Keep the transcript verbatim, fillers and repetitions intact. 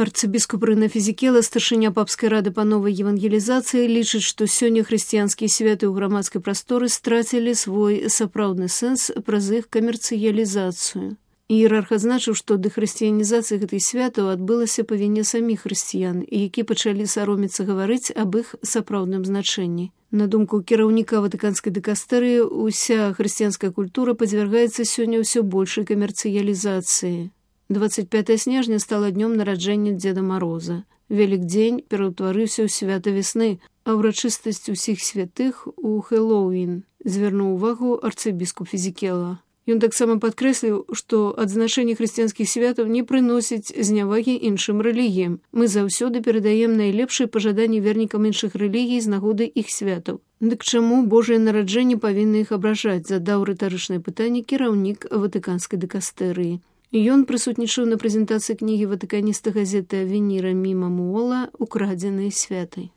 Арцыбіскуп Рына Фізікела, старшыня папскай рады па новай евангелізацыі, лічыць, што сёння хрысціянскія святы ў грамадскай прасторы страцілі свой сапраўдны сэнс праз іх камерцыялізацыю. Іерарх адзначыў, што дэхрысціянізацыя гэтых святаў адбылася па віне саміх хрысціян, які пачалі саромецца гаварыць аб іх сапраўдным значэнні. На думку кіраўніка ватыканскай дыкастэрыі, уся хрысціянская культура падвяргаецца сёння ўсё большай камерцыялізацыі. двадцать пятое снежня стала днём нараджэння Дзеда Мароза. Велікдзень пераўтварыўся ў свята весны, а ўрачыстасць усіх святых у Хэллоуін, звярнуў увагу арцыбіскуп Фізікела. Ён таксама падкрэсліў, што адзначэнне хрысціянскіх святаў не прыносіць знявагі іншым рэлігіям. Мы заўсёды перадаем найлепшыя пажаданні вернікам іншых рэлігій з нагоды іх святаў. Дык чаму Божае нараджэнне павінны іх абражаць, задаў рытарычнае пытанне кіраўнік ватыканскай дыкастэрыі. Ён прысутнічаў на прэзентацыі кнігі ватыканіста газеты «Авеніра Міма Муола» «Украдзеныя святай».